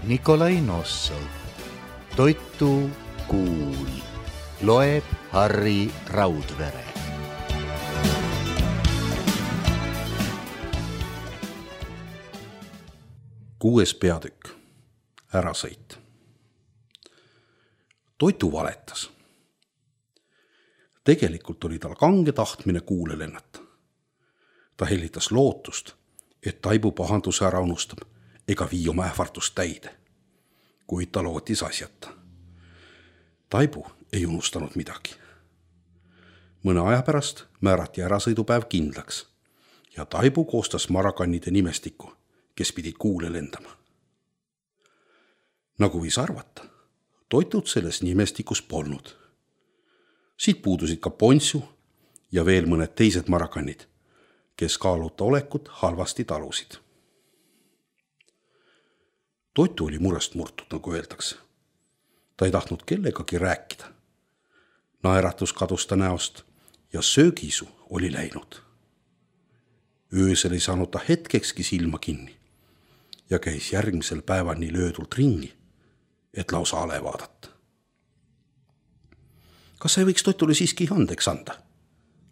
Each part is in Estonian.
Nikolai Nossov. Toitu kuul. Loeb Harri Raudvere. Kuues peatükk. Ärasõit. Toitu valetas. Tegelikult oli tal kange tahtmine kuule lennata. Ta hellitas lootust, et Taibu pahanduse ära unustab ega vii oma ähvardust täide. Kuid ta lootis asjata. Taibu ei unustanud midagi. Mõne aja pärast määrati ärasõidupäev kindlaks ja Taibu koostas marakannide nimestiku, kes pidid kuule lendama. Nagu võis arvata, Toitut selles nimestikus polnud. Siit puudusid ka Ponsu ja veel mõned teised marakannid, kes kaaluta olekut halvasti talusid. Toitu oli murest murtud, nagu öeldakse. Ta ei tahtnud kellegagi rääkida. Naeratus kadus ta näost ja söögiisu oli läinud. Öösel ei saanud ta hetkekski silma kinni ja käis järgmisel päeval nii löödult ringi, et lausa ale vaadata. Kas sa ei võiks Toitule siiski andeks anda?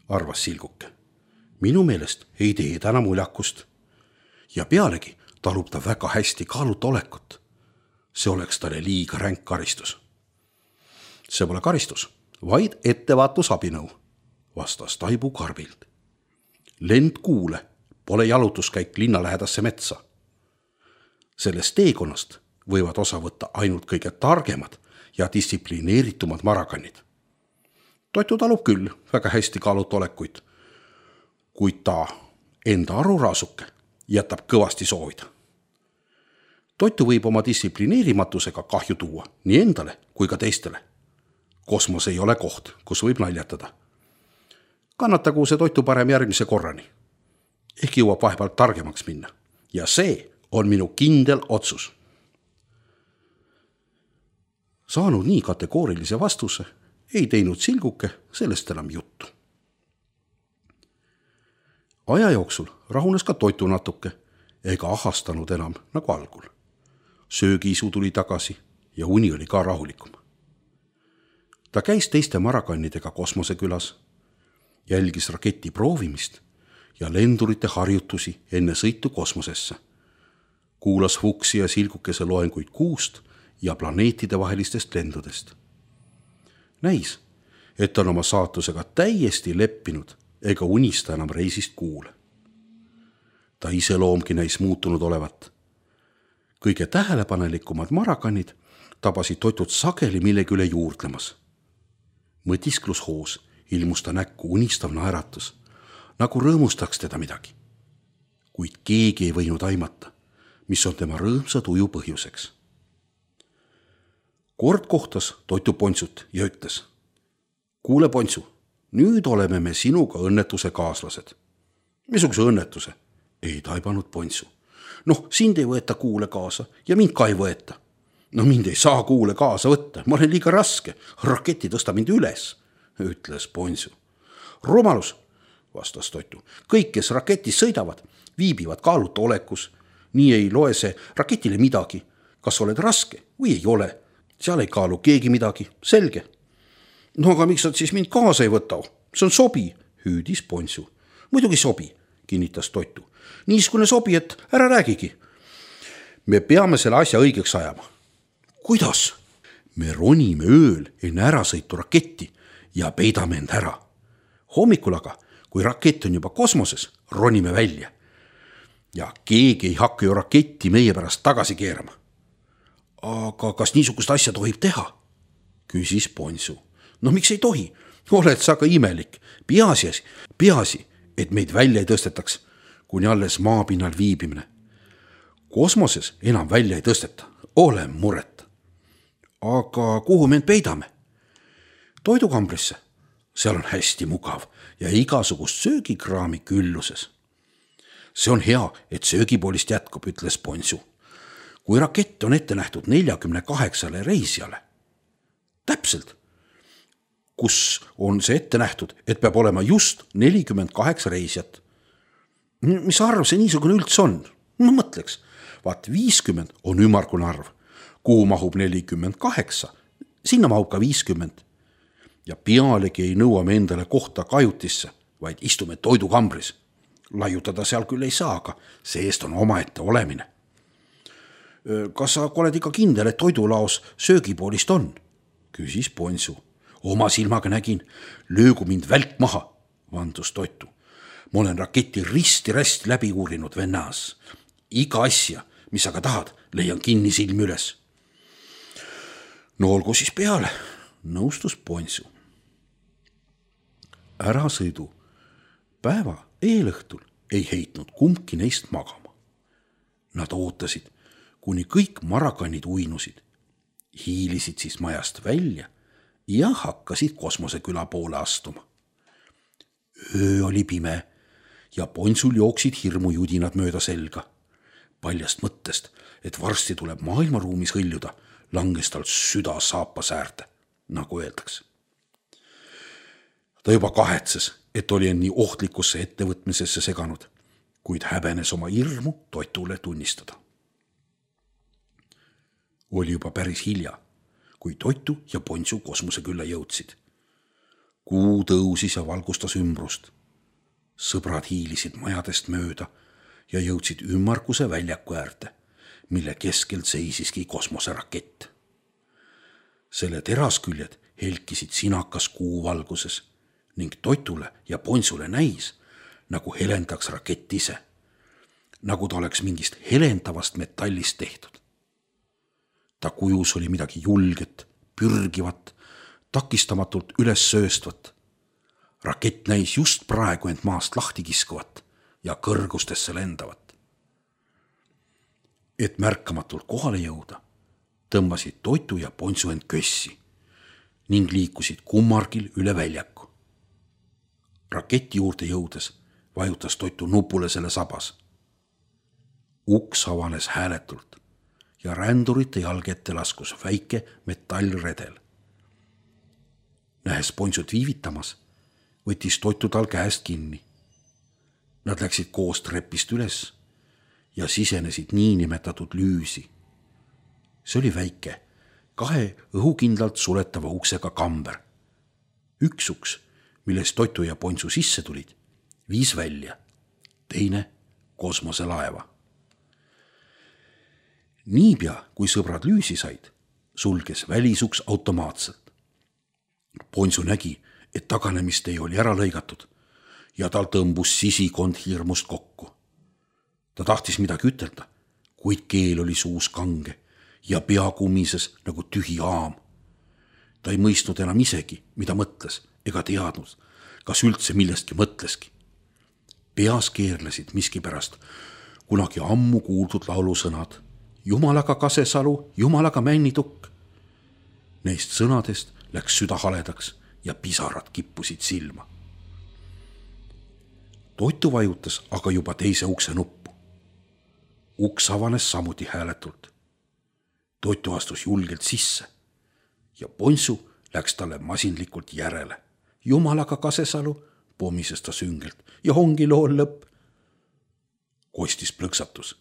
Arvas Silguke. Minu meelest ei tee täna muljakust. Ja pealegi talub ta väga hästi kaaluta olekut. See oleks talle liiga ränk karistus. See pole karistus, vaid ettevaatusabinõu, vastas Taibu karbilt. Lend kuule pole jalutuskäik linna lähedasse metsa. Sellest teekonnast võivad osa võtta ainult kõige targemad ja distsiplineeritumad marakannid. Toitu talub küll väga hästi kaaluta olekuid, kuid ta enda aruraasuke jätab kõvasti soovida. Toitu võib oma distsiplineerimatusega kahju tuua nii endale kui ka teistele. Kosmos ei ole koht, kus võib naljatada. Kannatagu see Toitu parem järgmise korrani. Ehk jõuab vahepeal targemaks minna. Ja see on minu kindel otsus. Saanud nii kategoorilise vastuse, ei teinud Silguke sellest enam juttu. Aja jooksul rahunes ka Toitu natuke ega ahastanud enam nagu algul. Söögiisu tuli tagasi ja uni oli ka rahulikum. Ta käis teiste marakannidega kosmosekülas, jälgis raketi proovimist ja lendurite harjutusi enne sõitu kosmosesse. Kuulas Fuksi ja Silgukese loenguid kuust ja planeetide vahelistest lendudest. Näis, et on oma saatusega täiesti leppinud ega unista enam reisist kuule. Ta iseloomgi näis muutunud olevat. Kõige tähelepanelikumad marakannid tabasid Toitut sageli millegi üle juurdlemas. Mõtisklushoos ilmus ta näkku unistav naeratus, nagu rõõmustaks teda midagi. Kuid keegi ei võinud aimata, mis on tema rõõmsa tuju põhjuseks. Kord kohtas Toitu Ponsut ja ütles: Kuule Ponsu, nüüd oleme me sinuga õnnetuse kaaslased. Missuguse õnnetuse? Ei taibanud Ponsu. Sind ei võeta kuule kaasa ja mind ka ei võeta. Mind ei saa kuule kaasa võtta, ma olen liiga raske. Raketi tõsta mind üles, ütles Ponsu. Rumalus, vastas Toitu. Kõik, kes raketis sõidavad, viibivad kaaluta olekus. Nii ei loe see raketile midagi. Kas oled raske või ei ole? Seal ei kaalu keegi midagi, selge. Aga miks sa siis mind kaasa ei võta? See on sobi, hüüdis Ponsu. Muidugi sobi, kinnitas Toitu. Niiskune sobi, et ära räägigi. Me peame selle asja õigeks ajama. Kuidas? Me ronime ööl enne ärasõitu raketti ja peidame end ära. Hommikul aga, kui rakett on juba kosmoses, ronime välja. Ja keegi ei hakka ju raketti meie pärast tagasi keerama. Aga kas niisugust asja tohib teha? Küsis Ponsu. Miks ei tohi? Oled sa ka imelik. Peaasi, et meid välja ei tõstetaks, kuni alles maapinnal viibimine. Kosmoses enam välja ei tõsteta. Ole muret. Aga kuhu me end peidame? Toidukambrisse. Seal on hästi mugav ja igasugust söögikraami külluses. See on hea, et söögipoolist jätkub, ütles Ponsu. Kui rakett on ette nähtud 48 reisijale. Täpselt. Kus on see ette nähtud, et peab olema just 48 reisijat? Mis arv see niisugune üldse on? Ma mõtleks, vaat 50 on ümmargune arv. kuhu mahub 48, sinna mahub ka 50. Ja pealegi ei nõua me endale kohta kajutisse, vaid istume toidukambris. Laiutada seal küll ei saa, aga see-eest on omaette olemine. Kas sa oled ikka kindel, et toidulaos söögipoolist on? Küsis Ponsu. Oma silmaga nägin, löögu mind välk maha, vandus Toitu. Ma olen raketi risti-rästi läbi uurinud vennas. Iga asja, mis aga tahad, leian kinni silmi üles. No olgu siis peale, nõustus Ponsu. Ärasõidu päeva eelõhtul ei heitnud kumbki neist magama. Nad ootasid, kuni kõik marakannid uinusid, hiilisid siis majast välja ja hakkasid kosmoseküla poole astuma. Öö oli pime ja Ponsul jooksid hirmujudinad mööda selga. Paljast mõttest, et varsti tuleb maailmaruumis hõljuda, langes tal süda saapasäärde, nagu öeldakse. Ta juba kahetses, et oli end nii ohtlikusse ettevõtmisesse seganud, kuid häbenes oma hirmu Toitule tunnistada. Oli juba päris hilja, kui Toitu ja Ponsu kosmosekülla jõudsid. Kuu tõusis ja valgustas ümbrust. Sõbrad hiilisid majadest mööda ja jõudsid ümmarguse väljaku äärde, mille keskel seisiski kosmoserakett. Selle terasküljed helkisid sinakas kuu valguses ning Toitule ja Ponsule näis, nagu helendaks rakett ise, nagu ta oleks mingist helendavast metallist tehtud. Ta kujus oli midagi julget, pürgivat, takistamatult üles sööstvat. Rakett näis just praegu end maast lahti kiskuvat ja kõrgustesse lendavat. Et märkamatult kohale jõuda, tõmbasid Toitu ja Ponsu end kössi ning liikusid kummargil üle väljaku. Raketi juurde jõudes vajutas Toitu nupule selle sabas. Uks avanes hääletult ja rändurite jalge ette laskus väike metallredel. Nähes Ponsut viivitamas, võttis Toitu tal käest kinni. Nad läksid koos trepist üles ja sisenesid niinimetatud lüüsi. See oli väike, 2 õhukindlalt suletava uksega kamber. Üks uks, millest Toitu ja Ponsu sisse tulid, viis välja, teine kosmoselaeva. Niipea, kui sõbrad lüüsi said, sulges välisuks automaatselt. Ponsu nägi, et taganemist ei oli ära lõigatud ja tal tõmbus sisikond hirmust kokku. Ta tahtis midagi ütelda, kuid keel oli suus kange ja pea kumises nagu tühi aam. Ta ei mõistnud enam isegi, mida mõtles ega teadnud, kas üldse millestki mõtleski. Peas keerlesid miskipärast kunagi ammu kuuldud laulusõnad Jumalaga Kasesalu, Jumalaga Männitukk. Neist sõnadest läks süda haledaks ja pisarad kippusid silma. Toitu vajutas aga juba teise ukse nuppu. Uks avanes samuti hääletult. Toitu astus julgelt sisse ja Ponsu läks talle masinlikult järele. Jumalaga Kasesalu, pommises ta süngelt, ja ongi lool lõpp. Kostis plõksatus.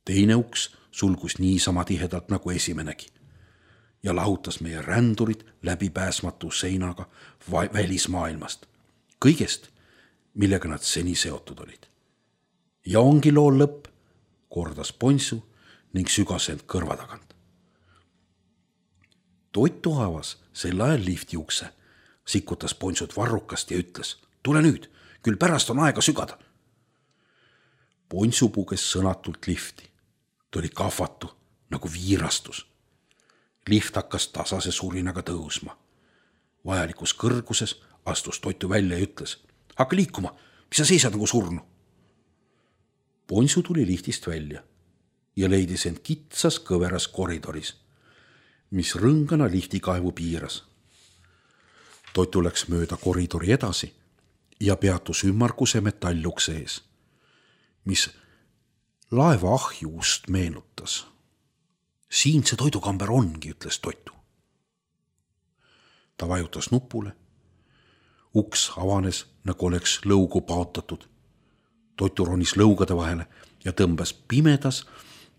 Teine uks sulgus niisama tihedalt nagu esimenegi ja lahutas meie rändurid läbipääsmatu seinaga välismaailmast, kõigest, millega nad seni seotud olid. Ja ongi lool lõpp, kordas Ponsu ning sügas end kõrva tagant. Toitu avas sel ajal lifti ukse, sikutas Ponsut varrukast ja ütles, tule nüüd, küll pärast on aega sügada. Ponsu puges sõnatult lifti. Ta oli kahvatu nagu viirastus. Lift hakkas tasase surinaga tõusma. Vajalikus kõrguses astus Toitu välja ja ütles, hakka liikuma, mis sa seisad nagu surnu. Ponsu tuli liftist välja ja leidis end kitsas kõveras koridoris, mis rõngana liftikaevu piiras. Toitu läks mööda koridori edasi ja peatus ümmarguse metallukse ees, mis laeva ahjuust meenutas. Siin see toidukamber ongi, ütles Toitu. Ta vajutas nupule. Uks avanes, nagu oleks lõugu paotatud. Toitu ronis lõugade vahele ja tõmbas pimedas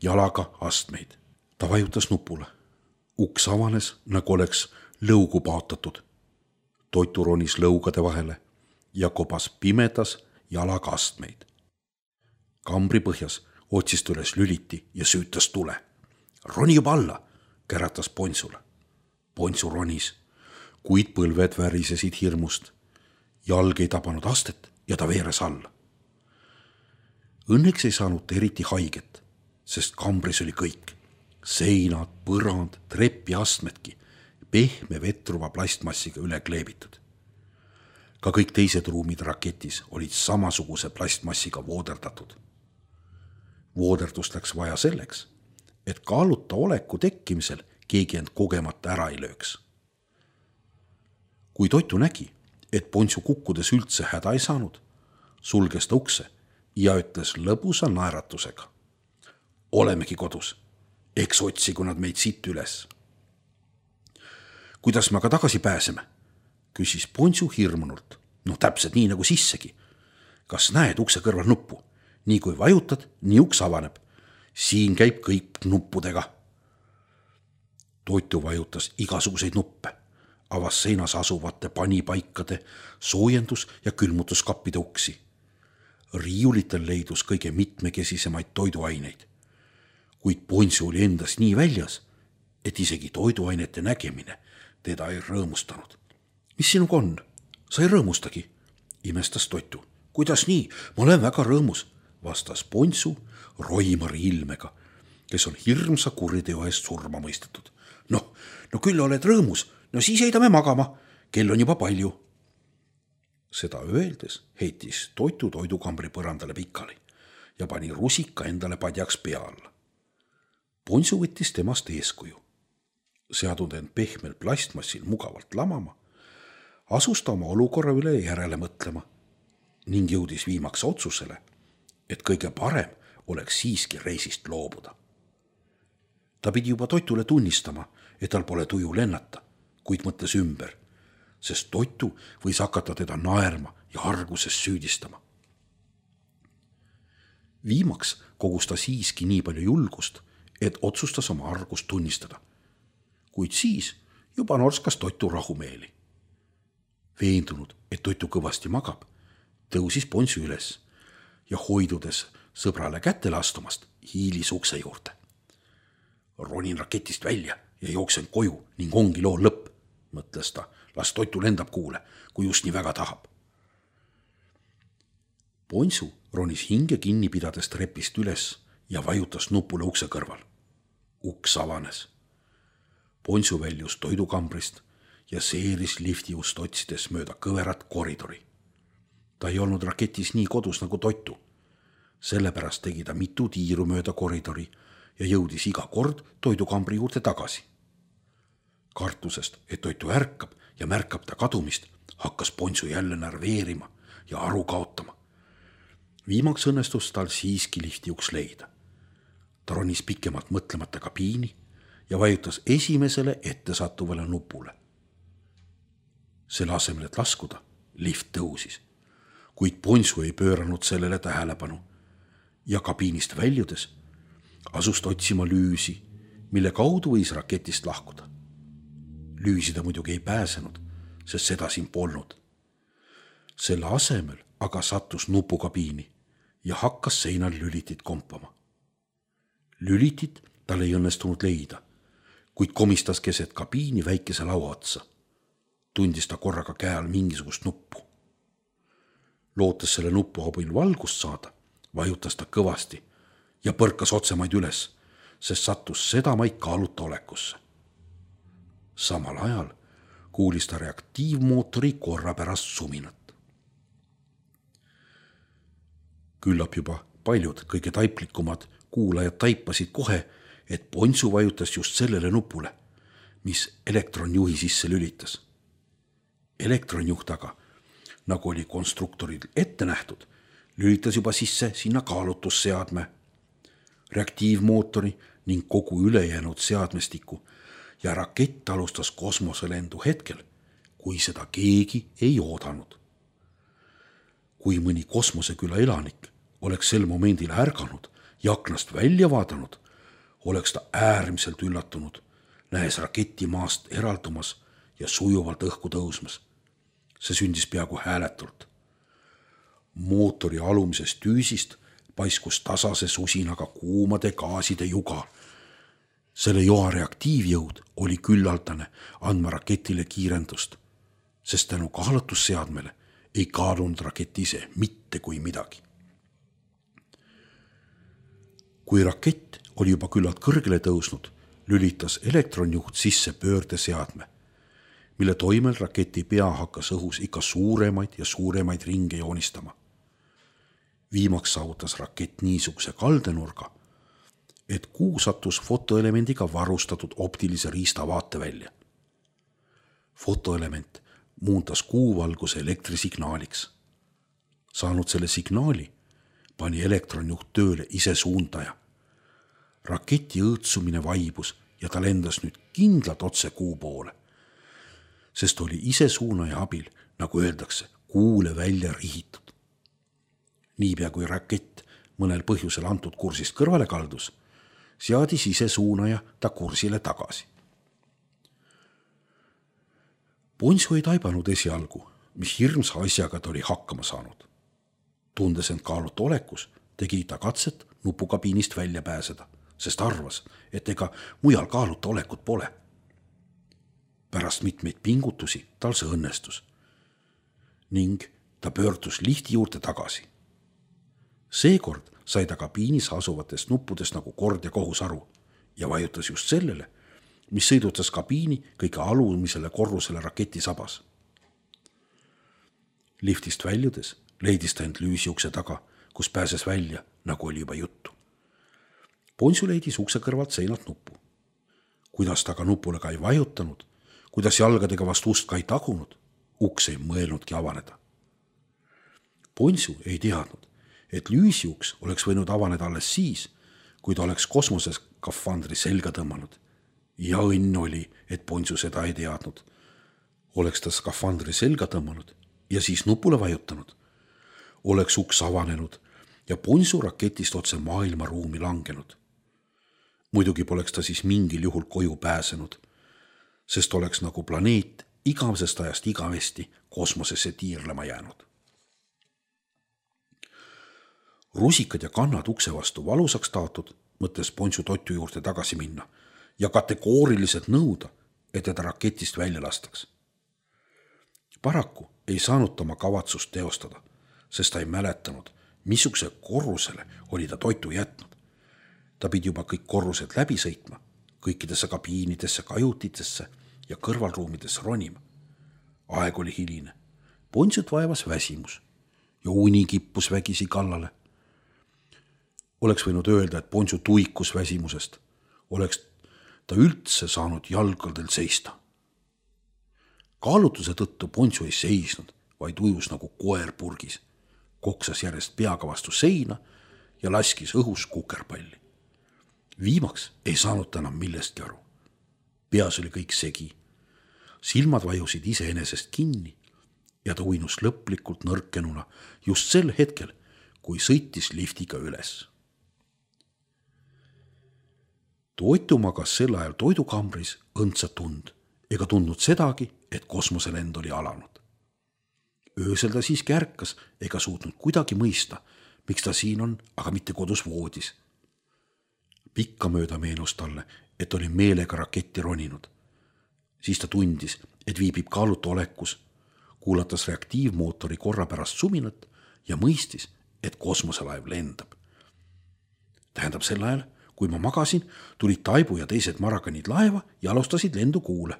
jalaga astmeid. ta vajutas nupule. Uks avanes, nagu oleks lõugu paotatud. Toitu ronis lõugade vahele ja kobas pimedas jalaga astmeid. Kambri põhjas otsis ta üles lüliti ja süütas tule. Roni juba alla, käratas Pontsule. Pontsu ronis, kuid põlved värisesid hirmust. Jalg ei tabanud astet ja ta veeres alla. Õnneks ei saanud ta eriti haiget, sest kambris oli kõik. Seinad, põrand, trepp ja astmedki pehme vetruva plastmassiga üle kleebitud. Ka kõik teised ruumid raketis olid samasuguse plastmassiga vooderdatud. Vooderdust läks vaja selleks, et kaaluta oleku tekkimisel keegi end kogemata ära ei lööks. Kui Toitu nägi, et Pontsu kukkudes üldse häda ei saanud, sulges ta ukse ja ütles lõbusa naeratusega. Olemegi kodus, eks otsigu nad meid siit üles. Kuidas me aga tagasi pääseme? Küsis Pontsu hirmunult. Täpselt nii nagu sissegi. Kas näed ukse kõrval nuppu? Nii kui vajutad, nii uks avaneb. Siin käib kõik nuppudega. Toitu vajutas igasuguseid nuppe. Avas seinas asuvate panipaikade, soojendus- ja külmutuskappide uksi. Riiulitel leidus kõige mitmekesisemaid toiduaineid. Kuid Pontsu oli endas nii väljas, et isegi toiduainete nägemine teda ei rõõmustanud. Mis sinuga on? Sa ei rõõmustagi, imestas Toitu. Kuidas nii? Ma olen väga rõõmus, vastas Pontsu Roimari ilmega, kes on hirmsa kuriteo eest surma mõistetud. No küll oled rõõmus, siis heidame magama, kell on juba palju. Seda öeldes heitis Toitu toidukambri põrandale pikali ja pani rusika endale padjaks pea alla. Pontsu võttis temast eeskuju. Seadunud end pehmel plastmassil mugavalt lamama, asus ta oma olukorra üle järele mõtlema ning jõudis viimaks otsusele, et kõige parem oleks siiski reisist loobuda. Ta pidi juba Toitule tunnistama, et tal pole tuju lennata, kuid mõtles ümber, sest Toitu võis hakata teda naerma ja arguses süüdistama. Viimaks kogus ta siiski nii palju julgust, et otsustas oma argust tunnistada. Kuid siis juba norskas Toitu rahumeeli. Veendunud, et Toitu kõvasti magab, tõusis Pontsu üles ja hoidudes sõbrale kätele astumast, hiilis ukse juurde. Ronin raketist välja ja jooksen koju ning ongi loo lõpp, mõtles ta. Las Toitu lendab kuule, kui just nii väga tahab. Pontsu ronis hinge kinni pidades trepist üles ja vajutas nupule ukse kõrval. Uks avanes. Pontsu väljus toidukambrist ja seeris liftiust otsides mööda kõverat koridori. Ta ei olnud raketis nii kodus nagu Toitu. Sellepärast tegi ta mitu tiiru mööda koridori ja jõudis iga kord toidukambri juurde tagasi. Kartusest, et Toitu ärkab ja märkab ta kadumist, hakkas Pontsu jälle närveerima ja aru kaotama. Viimaks õnnestus tal siiski lifti uks leida. Ta ronis pikemalt mõtlemata kabiini ja vajutas esimesele ettesattuvale nupule. Selle asemel, et laskuda, lift tõusis, kuid Pontsu ei pööranud sellele tähelepanu ja kabiinist väljudes asus ta otsima lüüsi, mille kaudu võis raketist lahkuda. Lüüsi ta muidugi ei pääsenud, sest seda siin polnud. Selle asemel aga sattus nupukabiini ja hakkas seinal lülitit kompama. Lülitit tal ei õnnestunud leida, kuid komistas keset kabiini väikese laua otsa. Tundis ta korraga käe all mingisugust nuppu. Lootes selle nupu abil valgust saada, vajutas ta kõvasti ja põrkas otsemaid üles, sest sattus sedamaid kaaluta olekusse. Samal ajal kuulis ta reaktiivmootori korrapärast suminat. Küllap juba paljud kõige taiplikumad kuulajad taipasid kohe, et Pontsu vajutas just sellele nupule, mis elektronjuhi sisse lülitas. Elektronjuht aga, nagu oli konstruktoril ette nähtud, lülitas juba sisse sinna kaalutusseadme, reaktiivmootori ning kogu ülejäänud seadmestiku ja rakett alustas kosmoselendu hetkel, kui seda keegi ei oodanud. Kui mõni kosmoseküla elanik oleks sel momendil ärganud ja aknast välja vaadanud, oleks ta äärmiselt üllatunud, nähes raketi maast eraldumas ja sujuvalt õhku tõusmas. See sündis peaaegu hääletult. Mootori alumisest tüüsist paiskus tasase susinaga kuumade gaaside juga. Selle joa reaktiivjõud oli küllaldane andma raketile kiirendust, sest tänu kaalutusseadmele ei kaalunud rakett ise mitte kui midagi. Kui rakett oli juba küllalt kõrgele tõusnud, lülitas elektronjuht sisse pöördeseadme, mille toimel raketi pea hakkas õhus ikka suuremaid ja suuremaid ringe joonistama. Viimaks saavutas rakett niisuguse kaldenurga, et kuu sattus fotoelemendiga varustatud optilise riista vaatevälja. Fotoelement muundas kuuvalguse elektrisignaaliks. Saanud selle signaali, pani elektronjuht tööle ise suundaja. Raketi õõtsumine vaibus ja ta lendas nüüd kindlalt otse kuu poole, sest oli ise suunaja abil, nagu öeldakse, kuule välja rihitud. Niipea kui rakett mõnel põhjusel antud kursist kõrvale kaldus, seadis ise suunaja ta kursile tagasi. Ponsu ei taibanud esialgu, mis hirmsa asjaga ta oli hakkama saanud. Tundes end kaaluta olekus, tegi ta katset nupukabiinist välja pääseda, sest arvas, et ega mujal kaaluta olekut pole. Pärast mitmeid pingutusi tal see õnnestus ning ta pöördus lifti juurde tagasi. Seekord sai ta kabiinis asuvatest nuppudest nagu kord ja kohus aru ja vajutas just sellele, mis sõidutas kabiini kõige alumisele korrusele raketi sabas. Liftist väljudes leidis ta end lüüsiukse taga, kus pääses välja, nagu oli juba juttu. Ponsu leidis ukse kõrvalt seinalt nuppu. Kuidas ta ka nupule ka ei vajutanud, kuidas jalgadega vastu ust ka ei tagunud, uks ei mõelnudki avaneda. Ponsu ei teadnud, et lüüsiuks oleks võinud avaneda alles siis, kui ta oleks kosmoses skafandri selga tõmmanud. Ja õnn oli, et Ponsu seda ei teadnud. Oleks ta skafandri selga tõmmanud ja siis nupule vajutanud, oleks uks avanenud ja Ponsu raketist otse maailmaruumi langenud. Muidugi poleks ta siis mingil juhul koju pääsenud, sest oleks nagu planeet igavesest ajast igavesti kosmosesse tiirlema jäänud. Rusikad ja kannad ukse vastu valusaks taotud, mõtles Ponsu totu juurde tagasi minna ja kategooriliselt nõuda, et teda raketist välja lastaks. Paraku ei saanud ta oma kavatsust teostada, sest ta ei mäletanud, missuguse korrusele oli ta toitu jätnud. Ta pidi juba kõik korrused läbi sõitma, kõikidesse kabiinidesse, kajutitesse ja kõrvalruumidesse ronima. Aeg oli hiline. Ponsut vaevas väsimus ja uni kippus vägisi kallale. Oleks võinud öelda, et Ponsu tuikus väsimusest. Oleks ta üldse saanud jalgadel seista. Kaalutuse tõttu Ponsu ei seisnud, vaid ujus nagu koer purgis. Koksas järjest peaga vastu seina ja laskis õhus kukerpalli. Viimaks ei saanud ta enam millestki aru. Peas oli kõik segi. Silmad vajusid iseenesest kinni ja ta uinus lõplikult nõrkenuna just sel hetkel, kui sõitis liftiga üles. Toitu magas sel ajal toidukambris õndsa tund ega tundnud sedagi, et kosmoselend oli alanud. Öösel ta siiski ärkas ega suutnud kuidagi mõista, miks ta siin on, aga mitte kodus voodis. Pikkamööda meenus talle, et oli meelega raketti roninud. Siis ta tundis, et viibib kaaluta olekus, kuulatas reaktiivmootori korra pärast suminat ja mõistis, et kosmoselaev lendab. Tähendab sel ajal, kui ma magasin, tulid Taibu ja teised marakanid laeva ja alustasid lendu kuule.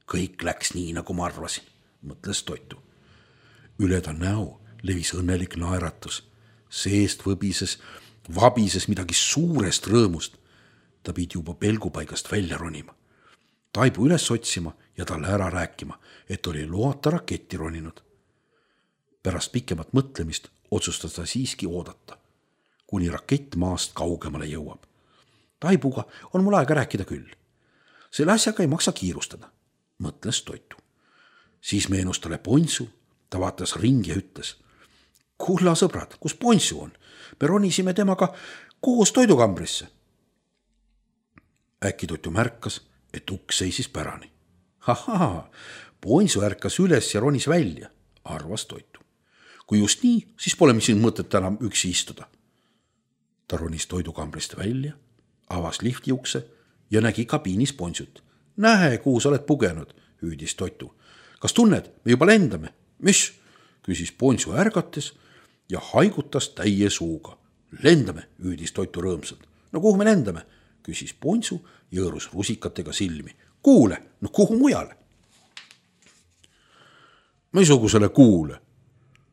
Kõik läks nii, nagu ma arvasin, mõtles Toitu. Üle ta näo levis õnnelik naeratus. Seest vabises midagi suurest rõõmust. Ta pidi juba pelgupaigast välja ronima. Taibu üles otsima ja talle ära rääkima, et oli loata raketti roninud. Pärast pikemat mõtlemist otsustas ta siiski oodata, kuni rakett maast kaugemale jõuab. Taibuga on mul aega rääkida küll. Selle asjaga ei maksa kiirustada, mõtles Toitu. Siis meenus talle Ponsu, ta vaatas ringi ja ütles: kulla sõbrad, kus Ponsu on? Me ronisime temaga koos toidukambrisse. äkki Toitu märkas, et uks seisis pärani. Ahaa, Ponsu ärkas üles ja ronis välja, arvas Toitu. Kui just nii, siis pole siin mõtet enam üksi istuda. Ta ronis toidukambrist välja, avas lifti ukse ja nägi kabiinis Ponsut. Nähe, kuhu sa oled pugenud, hüüdis Toitu. Kas tunned, me juba lendame? Mis? Küsis Ponsu ärgates ja haigutas täie suuga. Lendame, hüüdis Toitu rõõmsalt. No kuhu me lendame? Küsis Ponsu ja hõõrus rusikatega silmi. Kuule, no kuhu mujale? Missugusele kuule?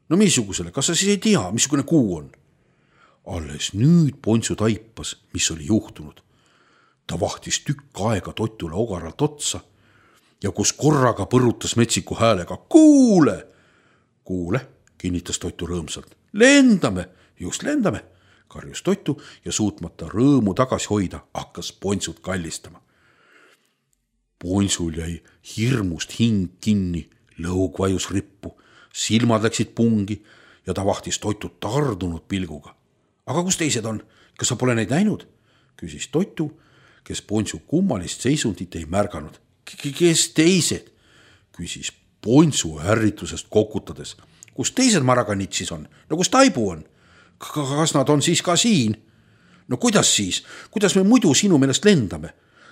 No missugusele, kas sa siis ei tea, missugune kuu on? Alles nüüd Ponsu taipas, mis oli juhtunud. Ta vahtis tükk aega Toitule ogaralt otsa ja kus korraga põrutas metsiku häälega. Kuule! Kuule, kinnitas Toitu rõõmsalt. Lendame, just lendame, karjus Toitu ja suutmata rõõmu tagasi hoida, hakkas Ponsut kallistama. Ponsul jäi hirmust hing kinni, lõug vajus rippu, silmad läksid pungi ja ta vahtis Toitut tardunud pilguga. Aga kus teised on? Kas sa pole neid näinud? Küsis Toitu, kes Ponsu kummalist seisundit ei märganud. Kes teised? Küsis Ponsu ärritusest kokutades. Kus teised maraganitsis on? No kus Taibu on? Kas nad on siis ka siin? No kuidas siis? Kuidas me muidu sinu meelest lendame?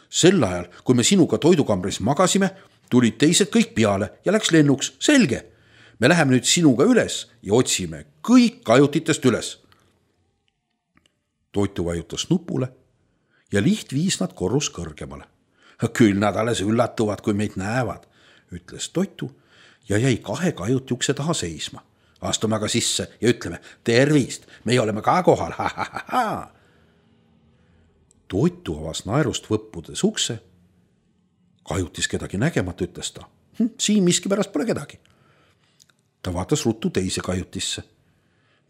Sel ajal, kui me sinuga toidukambris magasime, tulid teised kõik peale ja läks lennuks. Selge. Me läheme nüüd sinuga üles ja otsime kõik kajutitest üles. Toitu vajutas nupule ja liht viis nad korrus kõrgemale. Küll nad alles üllatuvad, kui meid näevad, ütles Toitu ja jäi 2 kajuti ukse taha seisma. Astume aga sisse ja ütleme, tervist, meie oleme ka kohal. Toitu avas naerust võppudes ukse. Kajutis kedagi nägemata, ütles ta. Siin miskipärast pole kedagi. Ta vaatas ruttu teise kajutisse.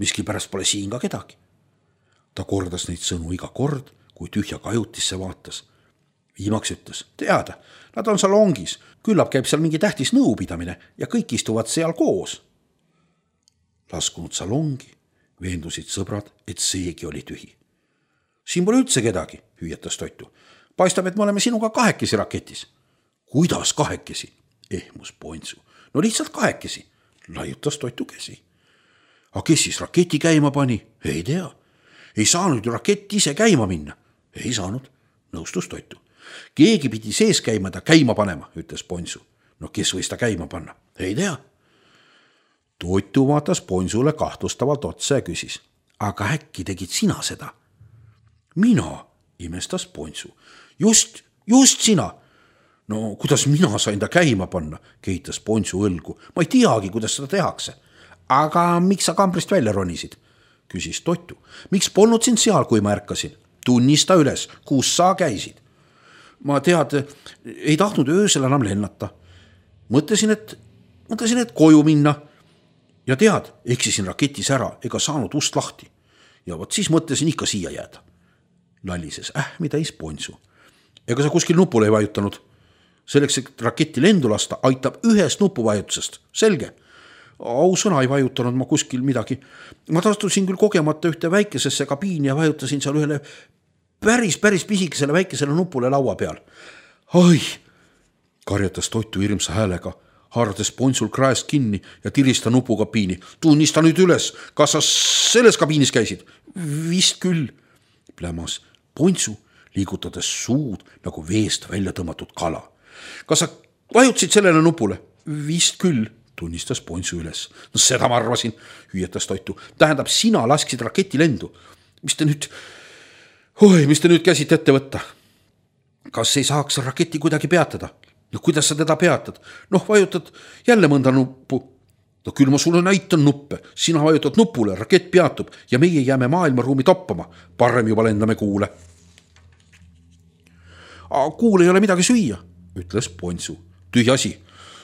Miskipärast pole siin ka kedagi. Ta kordas neid sõnu iga kord, kui tühja kajutisse vaatas. Viimaks ütles, teada, nad on salongis, küllap käib seal mingi tähtis nõupidamine ja kõik istuvad seal koos. Laskunud salongi, veendusid sõbrad, et seegi oli tühi. Siin pole üldse kedagi, hüüatas Toitu. Paistab, et me oleme sinuga 2 raketis. Kuidas 2? Ehmus Ponsu. No lihtsalt 2, laiutas Toitu käsi. Aga kes siis raketi käima pani? Ei tea. Ei saanud ju rakett ise käima minna. Ei saanud, nõustus Toitu. Keegi pidi sees käima ta käima panema, ütles Ponsu. No kes võis ta käima panna? Ei tea. Toitu vaatas Ponsule kahtlustavalt otsa ja küsis. Aga äkki tegid sina seda? Mina, imestas Ponsu. Just sina. No kuidas mina sain ta käima panna, kehitas Ponsu õlgu. Ma ei teagi, kuidas seda tehakse. Aga miks sa kambrist välja ronisid? Küsis Toitu. Miks polnud sind seal, kui ma ärkasin? Tunnista üles, kus sa käisid? Ma ei tahtnud öösel enam lennata. Mõtlesin, et koju minna. Ja eksisin raketis ära ega saanud ust lahti. Ja vot siis mõtlesin ikka siia jääda. Lallises ähmitäis Ponsu. Ega sa kuskil nupule ei vajutanud. Selleks, et raketti lendu lasta, aitab ühest nupuvajutusest. Selge. Ausõna ei vajutanud ma kuskil midagi. Ma tastusin küll kogemata ühte väikesesse kabiini ja vajutasin seal ühele päris pisikesele väikesele nupule laua peal. Ai, karjatas Toitu hirmsa häälega, haarades Ponsul kraest kinni ja tirista nupukabiini. Tunnista nüüd üles, kas sa selles kabiinis käisid? Vist küll, plämas Ponsu, liigutades suud nagu veest välja tõmmatud kala. Kas sa vajutasid sellele nupule? Vist küll, tunnistas Ponsu üles. No seda ma arvasin, hüüatas Toitu. Tähendab, sina lasksid raketi lendu. Mis te nüüd käsite ette võtta? Kas ei saaks raketi kuidagi peatada? No kuidas sa teda peatad? Noh, vajutad jälle mõnda nuppu. No küll ma sulle näitan nuppe. Sina vajutad nupule, rakett peatub ja meie jääme maailmaruumi toppama. Parem juba lendame kuule. Kuule ei ole midagi süüa, ütles Ponsu. Tühi asi.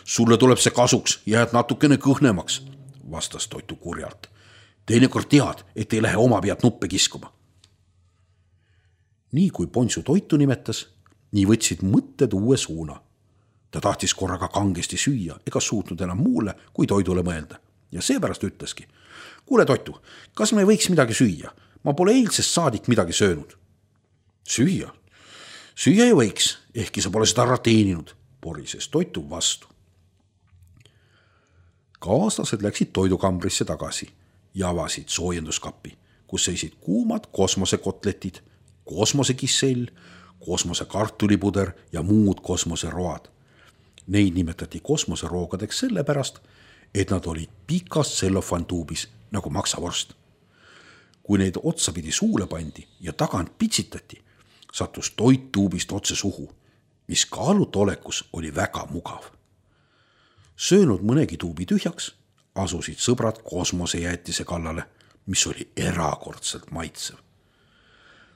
Sulle tuleb see kasuks, jääd natukene kõhnemaks, vastas Toitu kurjalt. Teinekord tead, et ei lähe oma pead nuppe kiskuma. Nii kui Ponsu Toitu nimetas, nii võtsid mõtted uue suuna. Ta tahtis korraga kangesti süüa ega suutnud enam muule kui toidule mõelda. Ja seepärast ütleski. Kuule Toitu, kas me võiks midagi süüa? Ma pole eilsest saadik midagi söönud. Süüa? Süüa ju võiks, ehkki sa pole seda ära teeninud, porises Toitu vastu. Kaaslased läksid toidukambrisse tagasi ja avasid soojenduskappi, kus seisid kuumad kosmosekotletid, kosmosekissell, kosmosekartulipuder ja muud kosmoseroad. Neid nimetati kosmoseroogadeks sellepärast, et nad olid pikas tsellofantuubis nagu maksavorst. Kui neid otsapidi suule pandi ja tagant pitsitati, sattus toit tuubist otse suhu, mis kaaluta olekus oli väga mugav. Söönud mõnegi tuubi tühjaks, asusid sõbrad kosmosejäätise kallale, mis oli erakordselt maitsev.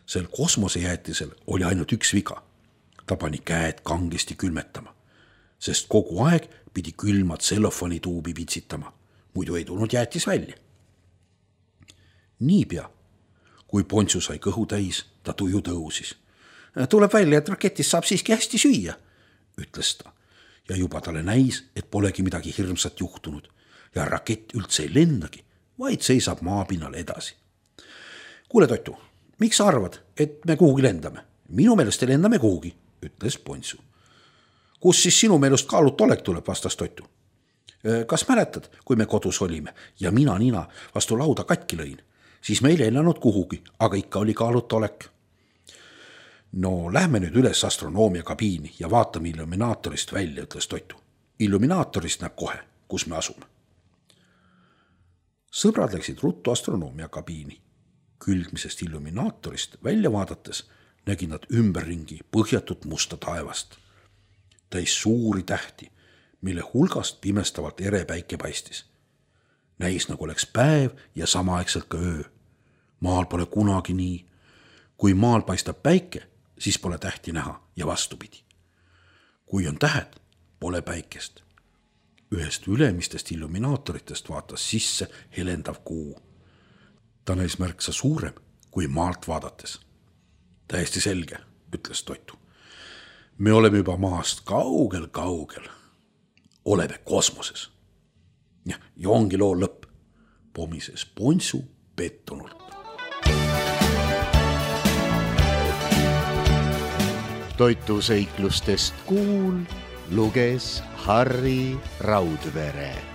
Sel kosmosejäätisel oli ainult üks viga. Ta pani käed kangesti külmetama, sest kogu aeg pidi külma tsellofani tuubi pitsitama, muidu ei tulnud jäätis välja. Niipea, kui Pontsu sai kõhu täis, ta tuju tõusis. Tuleb välja, et raketist saab siiski hästi süüa, ütles ta. Ja juba talle näis, et polegi midagi hirmsat juhtunud ja rakett üldse ei lendagi, vaid seisab maapinnal edasi. Kuule Toitu, miks sa arvad, et me kuhugi lendame? Minu meelest lendame kuhugi, ütles Pontsu. Kus siis sinu meelest kaaluta olek tuleb, vastas Toitu. Kas mäletad, kui me kodus olime ja mina nina vastu lauda katki lõin, siis me ei lennanud kuhugi, aga ikka oli kaaluta olek. No lähme nüüd üles astronoomia kabiini ja vaatame illuminaatorist välja, ütles Toitu. Illuminaatorist näeb kohe, kus me asume. Sõbrad läksid ruttu astronoomia kabiini. Külgmisest illuminaatorist välja vaadates nägid nad ümberringi põhjatut musta taevast. Täis suuri tähti, mille hulgast pimestavalt ere päike paistis. Näis nagu oleks päev ja samaaegselt ka öö. Maal pole kunagi nii. Kui maal paistab päike, siis pole tähti näha ja vastupidi. Kui on tähed, pole päikest. Ühest ülemistest illuminaatoritest vaatas sisse helendav kuu. Ta näis märksa suurem kui maalt vaadates. Täiesti selge, ütles Toitu. Me oleme juba maast kaugel. Oleme kosmoses. Ja ongi loo lõpp, pomises Pontsu pettunult. Toitu seiklustest kuul luges Harri Raudvere.